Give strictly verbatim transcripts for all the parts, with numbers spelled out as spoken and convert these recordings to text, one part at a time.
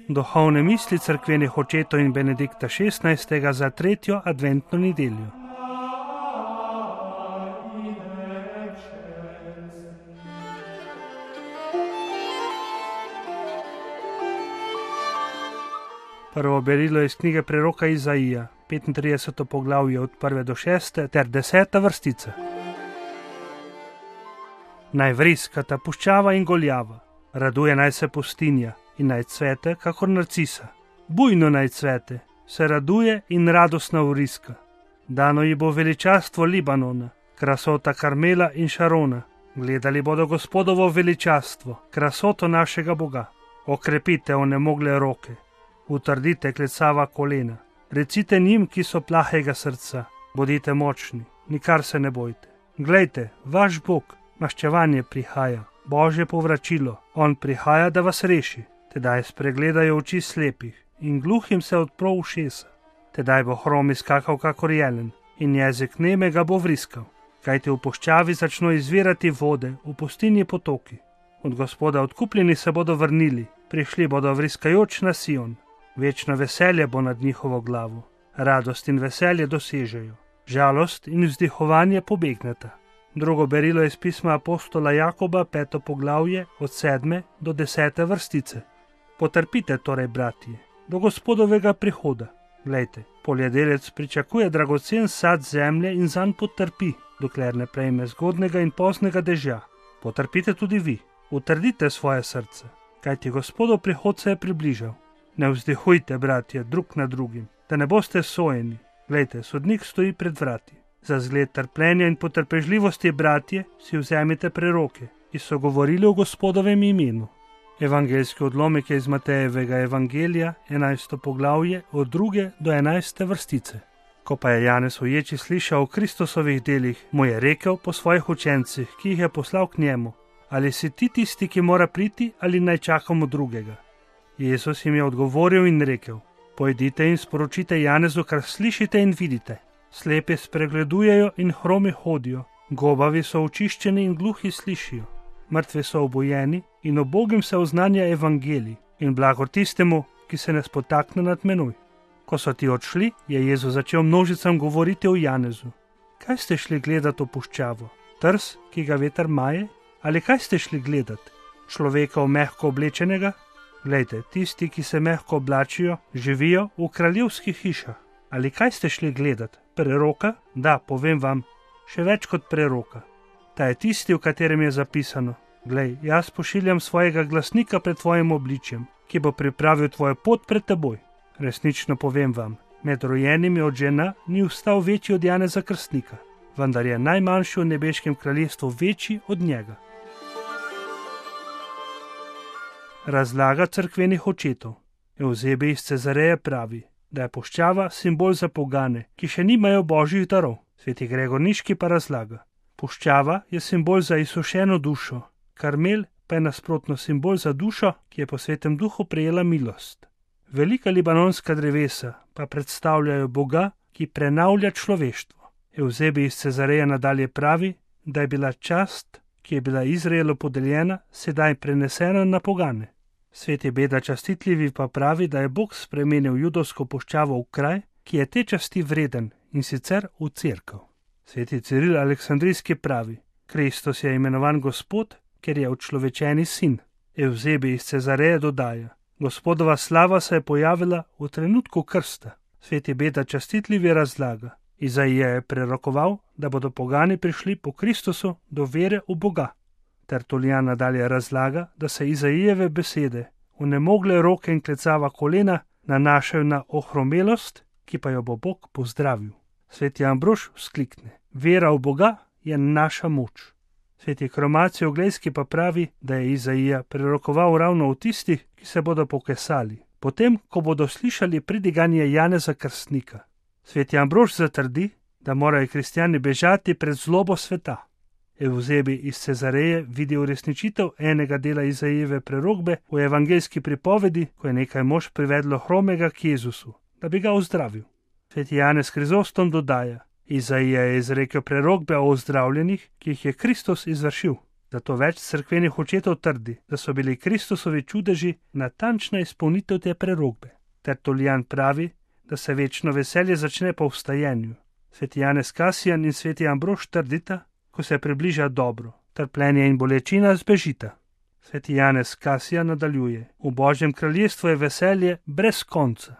Duhovne misli cerkvenih očetov in Benedikta šestnajstega za tretjo adventno nedeljo. Prvo berilo iz knjige preroka Izaija, petintrideseto poglavje od prve do šeste ter deseta vrstica. Naj vriskata puščava in goljava, raduje naj se pustinja in naj cvete, kakor narcisa. Bujno naj cvete, se raduje in radostna vriska. Dano ji bo veličastvo Libanona, krasota Karmela in Šarona. Gledali bodo Gospodovo veličastvo, krasoto našega Boga. Okrepite onemogle roke, utrdite klecava kolena. Recite njim, ki so plahega srca, bodite močni, nikar se ne bojte. Glejte, vaš Bog, maščevanje prihaja, Božje povračilo, on prihaja, da vas reši. Tedaj spregledajo oči slepih in gluhim se odpro ušesa. Tedaj bo hrom izkakal kakor jelen in jezik nemega bo vriskal. Kajti v puščavi začno izvirati vode, v pustinji potoki. Od Gospoda odkupljeni se bodo vrnili, prišli bodo vriskajoč na Sion. Večno veselje bo nad njihovo glavo, radost in veselje dosežejo, žalost in vzdihovanje pobegneta. Drugo berilo iz pisma apostola Jakoba, peto poglavje, od sedme do desete vrstice. Potrpite torej, bratje, do Gospodovega prihoda. Glejte, poljedelec pričakuje dragocen sad zemlje in zanj potrpi, dokler ne prejme zgodnega in poznega dežja. Potrpite tudi vi, utrdite svoje srce, kajti Gospodov prihod se je približal. Ne vzdihujte, bratje, drug na drugim, da ne boste sojeni. Glejte, sodnik stoji pred vrati. Za zgled trpljenja in potrpežljivosti, bratje, si vzemite preroke, ki so govorili o Gospodovem imenu. Evangeljski odlomek je iz Matejevega evangelija, enajsto poglavje, od druge do enajste vrstice. Ko pa je Janez uječi slišal o Kristusovih delih, mu je rekel po svojih učencih, ki jih je poslal k njemu: ali si ti tisti, ki mora priti, ali naj čakamo drugega? Jezus jim je odgovoril in rekel: pojdite in sporočite Janezu, kar slišite in vidite. Slepi spregledujejo in hromi hodijo, gobavi so očiščeni in gluhi slišijo. Mrtvi so obojeni in obogim se oznanja evangelij in blagor tistemu, ki se ne spotakne nad menoj. Ko so ti odšli, je Jezus začel množicam govoriti o Janezu. Kaj ste šli gledat v puščavo? Trs, ki ga veter maje? Ali kaj ste šli gledat? Človeka v mehko oblečenega? Glejte, tisti, ki se mehko oblačijo, živijo v kraljevskih hišah. Ali kaj ste šli gledat? Preroka? Da, povem vam, še več kot preroka. Ta je tisti, v katerem je zapisano: glej, jaz pošiljam svojega glasnika pred tvojim obličjem, ki bo pripravil tvojo pot pred teboj. Resnično povem vam, med rojenimi od žena ni vstal večji od Janeza Krstnika, vendar je najmanjši v nebeškem kraljestvu večji od njega. Razlaga cerkvenih očetov. Evzebij iz Cezareje pravi, da je puščava simbol za pogane, ki še nimajo božjih darov. Sveti Gregor Niški pa razlaga: puščava je simbol za izsušeno dušo, Karmel pa je nasprotno simbol za dušo, ki je po Svetem Duhu prejela milost. Velika libanonska drevesa pa predstavljajo Boga, ki prenavlja človeštvo. Evzebij iz Cezareje nadalje pravi, da je bila čast, ki je bila Izraelu podeljena, sedaj prenesena na pogane. Sveti Beda Častitljivi pa pravi, da je Bog spremenil judovsko puščavo v kraj, ki je te časti vreden, in sicer v cerkev. Sveti Ciril Aleksandrijski pravi: Kristus je imenovan Gospod, ker je učlovečeni sin. Evzebij iz Cezareje dodaja: Gospodova slava se je pojavila v trenutku krsta. Sveti Beda Častitljivi razlaga: Izaija je prerokoval, da bodo pogani prišli po Kristusu do vere v Boga. Tertulijan nadalje razlaga, da se Izaijeve besede, onemogle roke in klecava kolena, nanašajo na ohromelost, ki pa jo bo Bog pozdravil. Sveti Ambrož vzklikne: vera v Boga je naša moč. Sveti Kromacijo Oglejski pa pravi, da je Izaija prerokoval ravno v tistih, ki se bodo pokesali, potem, ko bodo slišali pridiganje Janeza Krstnika. Sveti Ambrož zatrdi, da morajo kristjani bežati pred zlobo sveta. Evzebi iz Cezareje vidi uresničitev enega dela Izajeve prerokbe v evangeljski pripovedi, ko je nekaj mož privedlo hromega k Jezusu, da bi ga ozdravil. Sveti Janez Krizostom dodaja: Izaija je izrekel prerokbe o ozdravljenih, ki jih je Kristus izvršil. Zato več cerkvenih očetov trdi, da so bili Kristusovi čudeži natančna izpolnitev te prerokbe. Tertulijan pravi, da se večno veselje začne po vstajenju. Sveti Janez Kasijan in sveti Ambrož trdita, ko se približa dobro, trpljenje in bolečina zbežita. Sveti Janez Kasijan nadaljuje: V Božjem kraljestvu je veselje brez konca.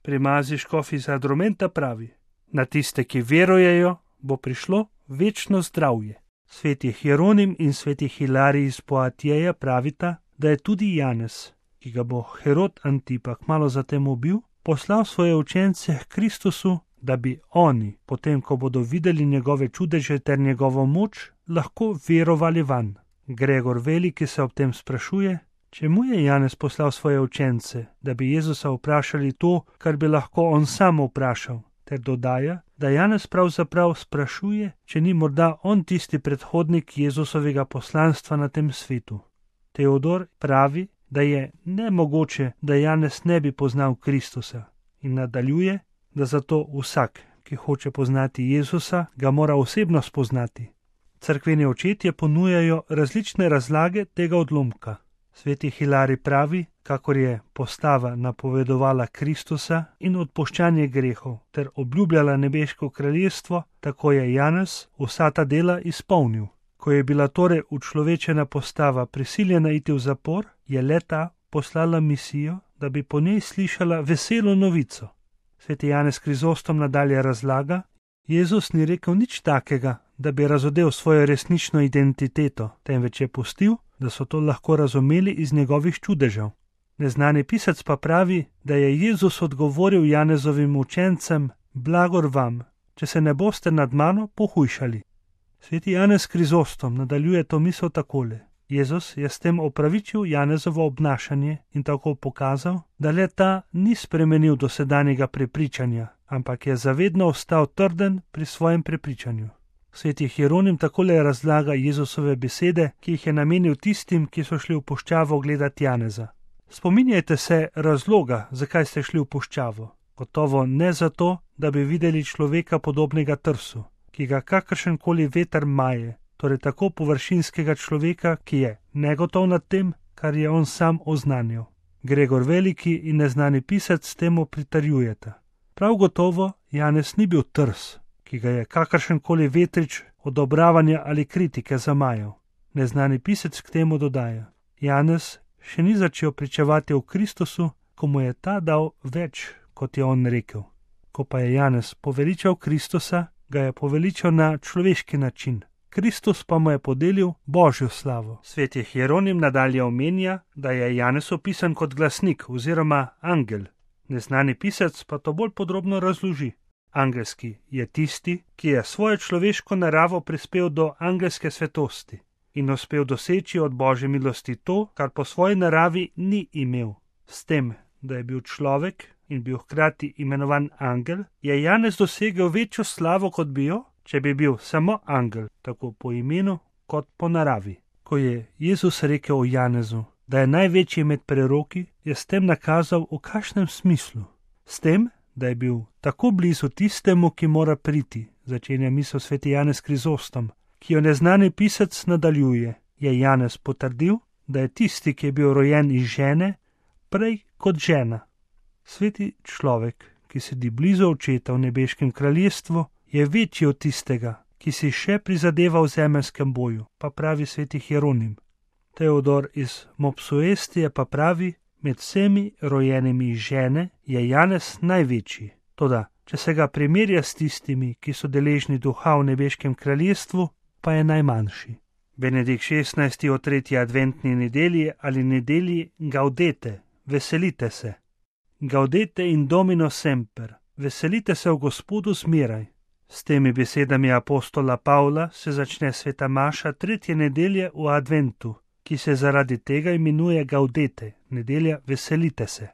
Primazi škof iz Adromenta pravi: Na tiste, ki verujejo, bo prišlo večno zdravje. Sveti Hieronim in sveti Hilarij iz Poatijeja pravita, da je tudi Janez, ki ga bo Herod Antipa kmalu zatem ubil, poslal svoje učence k Kristusu, da bi oni, potem ko bodo videli njegove čudeže ter njegovo moč, lahko verovali vanj. Gregor Veliki se ob tem sprašuje, čemu je Janez poslal svoje učence, da bi Jezusa vprašali to, kar bi lahko on sam vprašal, ter dodaja, da Janez pravzaprav sprašuje, če ni morda on tisti predhodnik Jezusovega poslanstva na tem svetu. Teodor pravi, da je nemogoče, da Janez ne bi poznal Kristusa, in nadaljuje, da zato vsak, ki hoče poznati Jezusa, ga mora osebno spoznati. Cerkveni očetje ponujajo različne razlage tega odlomka. Sveti Hilarij pravi, kakor je postava napovedovala Kristusa in odpuščanje grehov ter obljubljala nebeško kraljestvo, tako je Janez vsa ta dela izpolnil. Ko je bila torej učlovečena postava prisiljena iti v zapor, je le-ta poslala misijo, da bi po njej slišala veselo novico. Sveti Janez Krizostom nadalje razlaga: Jezus ni rekel nič takega, da bi razodel svojo resnično identiteto, temveč je pustil, da so to lahko razumeli iz njegovih čudežev. Neznani pisec pa pravi, da je Jezus odgovoril Janezovim učencem: Blagor vam, če se ne boste nad mano pohujšali. Sveti Janez Krizostom nadaljuje to misel takole: Jezus je s tem opravičil Janezovo obnašanje in tako pokazal, da le ta ni spremenil dosedanjega prepričanja, ampak je zavedno ostal trden pri svojem prepričanju. Sveti Hieronim takole razlaga Jezusove besede, ki jih je namenil tistim, ki so šli v puščavo gledati Janeza. Spominjajte se razloga, zakaj ste šli v puščavo. Gotovo ne zato, da bi videli človeka podobnega trsu, ki ga kakršenkoli veter maje, torej tako površinskega človeka, ki je negotov nad tem, kar je on sam oznanil. Gregor Veliki in neznani pisec temu pritrjujeta. Prav gotovo Janez ni bil trs, ki ga je kakršenkoli vetrič odobravanja ali kritike zamajal. Neznani pisec k temu dodaja: Janez še ni začel pričevati o Kristusu, ko mu je ta dal več, kot je on rekel. Ko pa je Janez poveličal Kristusa, ga je poveličal na človeški način. Kristus pa mu je podelil Božjo slavo. Sveti Hieronim nadalje omenja, da je Janez opisan kot glasnik oziroma angel. Neznani pisec pa to bolj podrobno razloži. Angelski je tisti, ki je svojo človeško naravo prispel do angelske svetosti in uspel doseči od Božje milosti to, kar po svoji naravi ni imel. S tem, da je bil človek in bil hkrati imenovan angel, je Janez dosegel večjo slavo, kot bi jo, če bi bil samo angel, tako po imenu kot po naravi. Ko je Jezus rekel o Janezu, da je največji med preroki, je s tem nakazal, v kakšnem smislu. S tem, da je bil tako blizu tistemu, ki mora priti, začenja misel sveti Janez Krizostom, ki jo neznani pisec nadaljuje. Je Janez potrdil, da je tisti, ki je bil rojen iz žene, prej kot žena. Sveti človek, ki sedi blizu očeta v nebeškem kraljestvu, je večji od tistega, ki si še prizadeva v zemeljskem boju, pa pravi sveti Hieronim. Teodor iz Mopsuestije pa pravi, med vsemi rojenimi iz žene je Janez največji. Toda, če se ga primerja s tistimi, ki so deležni duha v nebeškem kraljestvu, pa je najmanjši. Benedikt šestnajsti o tretji adventni nedelji ali nedelji Gaudete, veselite se. Gaudete in Domino semper, veselite se v Gospodu zmeraj. S temi besedami apostola Pavla se začne sveta maša tretje nedelje v adventu, ki se zaradi tega imenuje Gaudete, nedelja veselite se.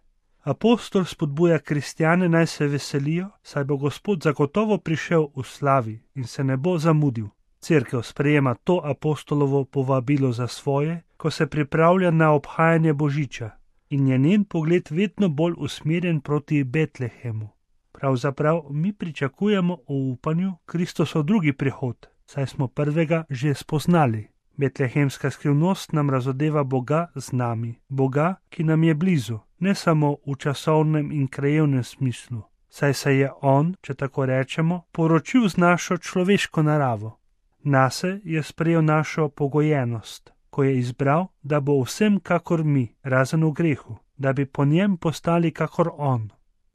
Apostol spodbuja kristjane naj se veselijo, saj bo Gospod zagotovo prišel v slavi in se ne bo zamudil. Cerkev sprejema to apostolovo povabilo za svoje, ko se pripravlja na obhajanje Božiča, in je njen pogled vedno bolj usmerjen proti Betlehemu. Pravzaprav mi pričakujemo v upanju Kristusov drugi prihod, saj smo prvega že spoznali. Betlehemska skrivnost nam razodeva Boga z nami, Boga, ki nam je blizu, ne samo v časovnem in krajevnem smislu, saj se je On, če tako rečemo, poročil z našo človeško naravo. Nase je sprejel našo pogojenost, ko je izbral, da bo vsem kakor mi, razen v grehu, da bi po njem postali kakor On.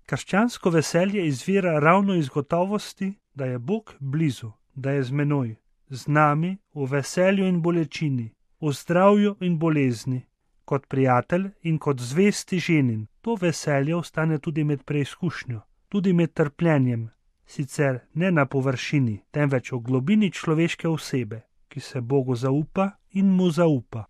Krščansko veselje izvira ravno iz gotovosti, da je Bog blizu, da je z menoj, z nami v veselju in bolečini, v zdravju in bolezni, kot prijatelj in kot zvesti ženin. To veselje ostane tudi med preizkušnjo, tudi med trpljenjem, sicer ne na površini, temveč v globini človeške osebe, ki se Bogu zaupa in mu zaupa.